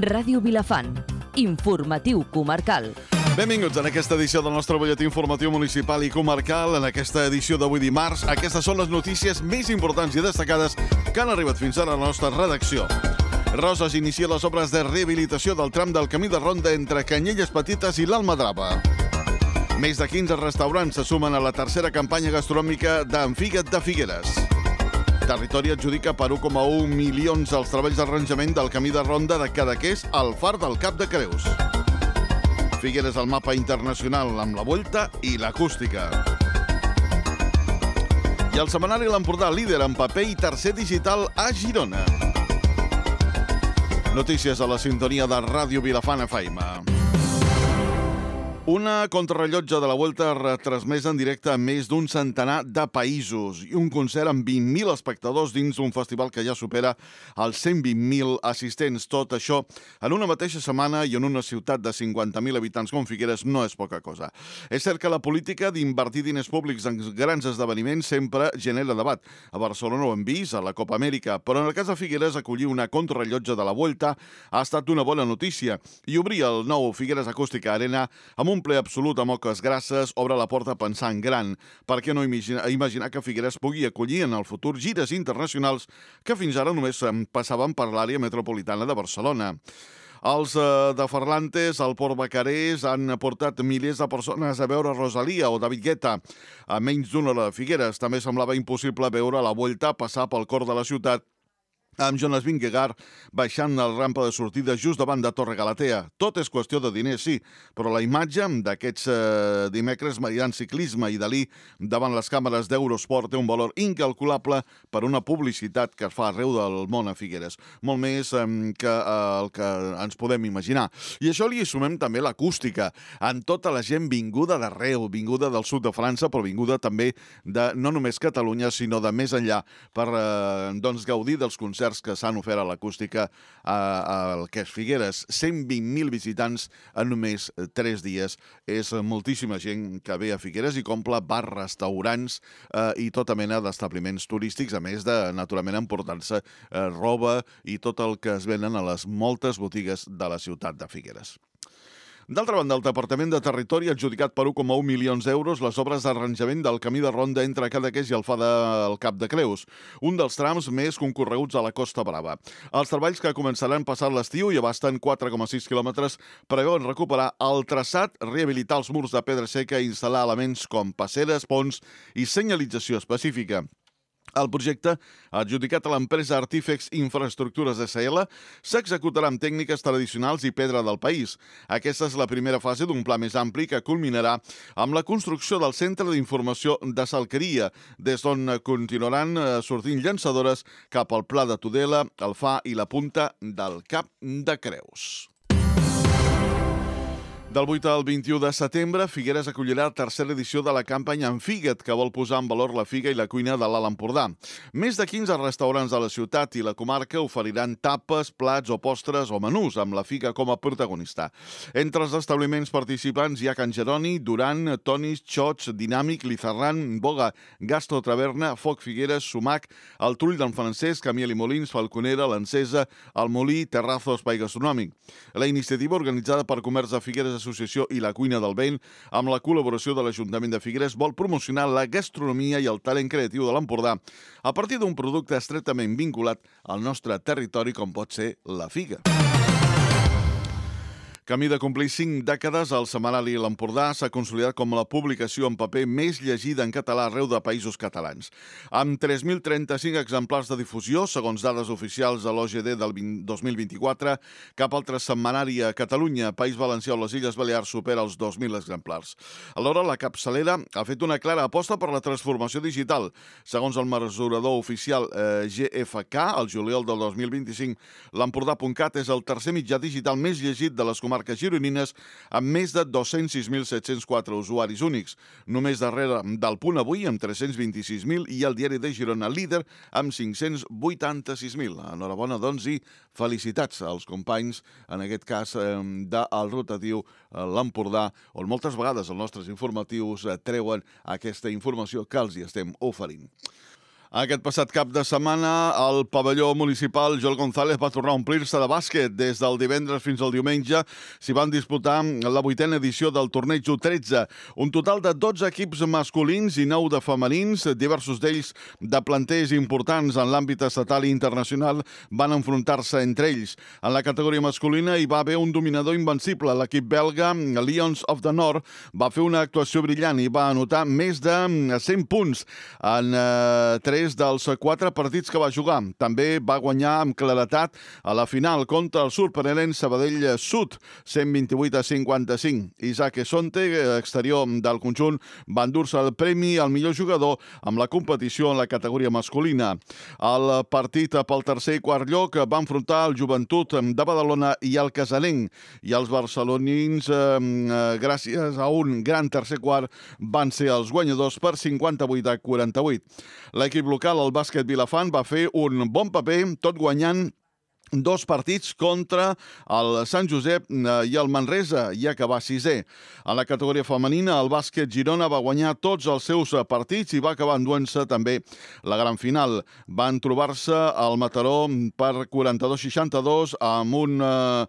Ràdio Vilafant. Informatiu comarcal. Benvinguts en aquesta edició del nostre butlletí informatiu municipal i comarcal. En aquesta edició d'avui dimarts, aquestes són les notícies més importants i destacades que han arribat fins ara a la nostra redacció. Roses inicia les obres de rehabilitació del tram del camí de ronda entre Canyelles Petites i l'Almadrava. Més de 15 restaurants se sumen a la tercera campanya gastronòmica d'Enfiga't de Figueres. Territori adjudica per 1,1 milions els treballs d'arranjament del camí de ronda de Cadaqués al Far del Cap de Creus. Figueres al mapa internacional amb la Volta i l'acústica. I el setmanari L'Empordà, líder en paper i tercer digital a Girona. Notícies a la sintonia de Ràdio Vilafant FM. Una contrarellotge de la Volta retransmesa en directe a més d'un centenar de països i un concert amb 20.000 espectadors dins un festival que ja supera els 120.000 assistents. Tot això en una mateixa setmana i en una ciutat de 50.000 habitants com Figueres no és poca cosa. És cert que la política d'invertir diners públics en grans esdeveniments sempre genera debat. A Barcelona ho hem vist, a la Copa Amèrica, però en el cas de Figueres acollir una contrarellotge de la Volta ha estat una bona notícia i obrir el nou Figueres Acústica Arena amb un ple absolut amb oques grasses obre la porta pensant gran. Per què no imaginar que Figueres pugui acollir en el futur gires internacionals que fins ara només passaven per l'àrea metropolitana de Barcelona? Els de Ferlantes, al Port Bacarés, han portat milers de persones a veure Rosalía o David Guetta. A menys d'una hora de Figueres també semblava impossible veure la Volta passar pel cor de la ciutat amb Jonas Vingegaard baixant la rampa de sortida just davant de Torre Galatea. Tot és qüestió de diners, sí, però la imatge d'aquests dimecres maridant ciclisme i Dalí davant les càmeres d'Eurosport té un valor incalculable per una publicitat que es fa arreu del món a Figueres. Molt més que el que ens podem imaginar. I això li sumem també l'acústica, amb tota la gent vinguda d'arreu, vinguda del sud de França, però vinguda també de no només Catalunya, sinó de més enllà, per gaudir dels concerts que s'han ofert a l'acústica al que és Figueres. 120.000 visitants en només 3 dies. És moltíssima gent que ve a Figueres i compra bars, restaurants i tota mena d'establiments turístics, a més de, naturalment, emportar-se roba i tot el que es venen a les moltes botigues de la ciutat de Figueres. D'altra banda, el Departament de Territori ha adjudicat per 1,1 milions d'euros les obres d'arranjament del camí de ronda entre Cadaqués i el Far del Cap de Creus, un dels trams més concorreguts a la Costa Brava. Els treballs, que començaran passat l'estiu i abasten 4,6 quilòmetres, preveuen recuperar el traçat, rehabilitar els murs de pedra seca i instal·lar elements com passeres, ponts i senyalització específica. El projecte, adjudicat a l'empresa Artífex Infraestructures S.L., s'executarà amb tècniques tradicionals i pedra del país. Aquesta és la primera fase d'un pla més ampli que culminarà amb la construcció del Centre d'Informació de Salqueria, des d'on continuaran sortint llançadores cap al Pla de Tudela, el Fa i la Punta del Cap de Creus. Del 8 al 21 de setembre, Figueres acollirà la tercera edició de la campanya Enfiga't, que vol posar en valor la figa i la cuina de l'Alt Empordà. Més de 15 restaurants de la ciutat i la comarca oferiran tapes, plats o postres o menús amb la figa com a protagonista. Entre els establiments participants hi ha Can Jeroni, Duran, Tonis, Xots, Dinàmic, Lizarran, Boga, Gastro Taverna, Foc Figueres, Sumac, el Trull d'en Francesc, Camiel i Molins, Falconera, l'Encesa, el Molí, Terrazo, Espai Gastronòmic. La iniciativa, organitzada per Comerç de Figueres Associació i la Cuina del Vent, amb la col·laboració de l'Ajuntament de Figueres, vol promocionar la gastronomia i el talent creatiu de l'Empordà a partir d'un producte estretament vinculat al nostre territori com pot ser la figa. Camí de complir 5 dècades, el setmanari L'Empordà s'ha consolidat com la publicació en paper més llegida en català arreu de països catalans. Amb 3.035 exemplars de difusió, segons dades oficials de l'OGD del 2024, cap altre setmanari a Catalunya, País Valencià o les Illes Balears supera els 2.000 exemplars. Alhora, la capçalera ha fet una clara aposta per la transformació digital. Segons el mesurador oficial GFK, el juliol del 2025, l'Empordà.cat és el tercer mitjà digital més llegit de les comarques gironines, amb més de 206.704 usuaris únics, només darrere del Punt Avui, amb 326.000, i el Diari de Girona, líder, amb 586.000. Enhorabona, doncs, i felicitats als companys, en aquest cas del rotatiu L'Empordà, on moltes vegades els nostres informatius treuen aquesta informació que els hi estem oferint. Aquest passat cap de setmana, el pavelló municipal Joel González va tornar a omplir-se de bàsquet. Des del divendres fins al diumenge s'hi van disputar la 8a edició del torneig U13. Un total de 12 equips masculins i 9 de femenins, diversos d'ells de planters importants en l'àmbit estatal i internacional, van enfrontar-se entre ells. En la categoria masculina hi va haver un dominador invencible. L'equip belga, Lions of the North, va fer una actuació brillant i va anotar més de 100 punts en 3 dels 4 partits que va jugar. També va guanyar amb claretat a la final contra el sorprenent Sabadell Sud, 128-55. Isaac Esonte, exterior del conjunt, va endur-se el premi al millor jugador amb la competició en la categoria masculina. El partit pel tercer i quart lloc va enfrontar el Joventut de Badalona i el Casanenc, i els barcelonins, gràcies a un gran tercer quart, van ser els guanyadors per 58-48. L'equip local, el Bàsquet Vilafant, va fer un bon paper, tot guanyant 2 partits contra el Sant Josep i el Manresa, i acabar 6è. A la categoria femenina, el Bàsquet Girona va guanyar tots els seus partits i va acabar enduent-se també la gran final. Van trobar-se al Mataró per 42-62 amb una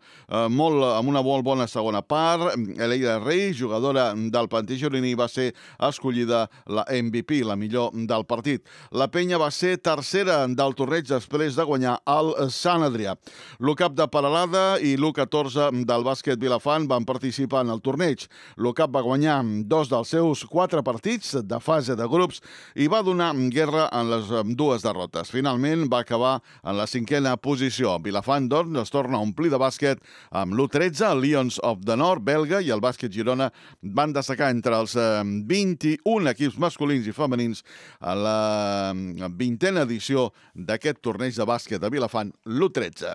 molt bona segona part. Eleida Rey, jugadora del planter gironí, va ser escollida la MVP, la millor del partit. La Penya va ser tercera del torneig després de guanyar el Sant Adrià. L'UCAP de Peralada i l'U14 del Bàsquet Vilafant van participar en el torneig. L'UCAP va guanyar 2 dels seus 4 partits de fase de grups i va donar guerra en les 2 derrotes. Finalment va acabar en la 5a posició. Vilafant, doncs, es torna a omplir de bàsquet amb l'U13, el Lions of the North, belga, i el Bàsquet Girona van destacar entre els 21 equips masculins i femenins a la 20a edició d'aquest torneig de bàsquet de Vilafant, l'U13.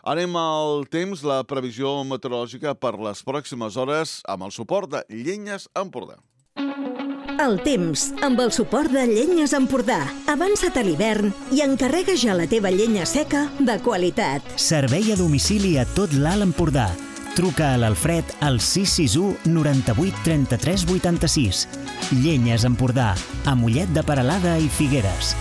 Anem al temps, la previsió meteorològica per les pròximes hores amb el suport de Llenyes Empordà. El temps, amb el suport de Llenyes Empordà. Avança't a l'hivern i encarrega ja la teva llenya seca de qualitat. Servei a domicili a tot l'Alt Empordà. Truca a l'Alfred al 661 98 33 86. Llenyes Empordà, a Mollet de Peralada i Figueres.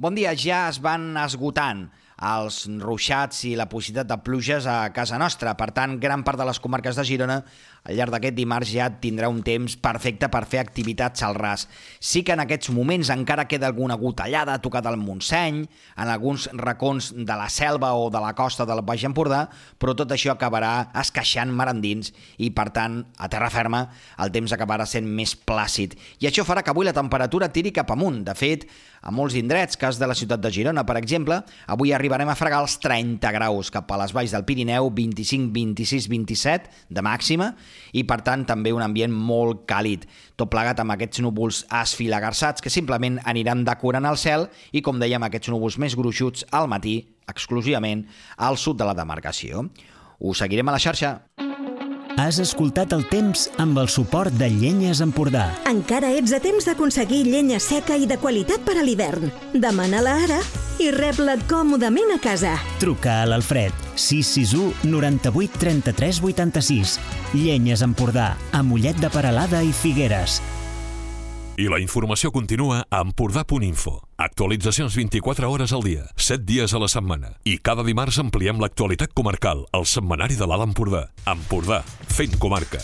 Bon dia, ja es van esgotant els ruixats i la possibilitat de pluges a casa nostra. Per tant, gran part de les comarques de Girona al llarg d'aquest dimarts ja tindrà un temps perfecte per fer activitats al ras. Sí que en aquests moments encara queda alguna gotellada tocat al Montseny, en alguns racons de la selva o de la costa del Baix Empordà, però tot això acabarà esqueixant mar endins i, per tant, a terra ferma, el temps acabarà sent més plàcid. I això farà que avui la temperatura tiri cap amunt. De fet, a molts indrets, cas de la ciutat de Girona, per exemple, avui arribarem a fregar els 30 graus, cap a les valls del Pirineu, 25, 26, 27 de màxima, i per tant també un ambient molt càlid, tot plegat amb aquests núvols esfilagarçats que simplement aniran decorant el cel i, com dèiem, aquests núvols més gruixuts al matí, exclusivament al sud de la demarcació. Us seguirem a la xarxa. Has escoltat el temps amb el suport de Llenyes Empordà. Encara ets a temps d'aconseguir llenya seca i de qualitat per a l'hivern. Demana-la ara i rep-la còmodament a casa. Truca a l'Alfred, 661 98 33 86. Llenyes Empordà, a Mollet de Peralada i Figueres. I la informació continua a empordà.info. Actualitzacions 24 hores al dia, 7 dies a la setmana. I cada dimarts ampliem l'actualitat comarcal, al setmanari de l'Alt Empordà. Empordà, fent comarca.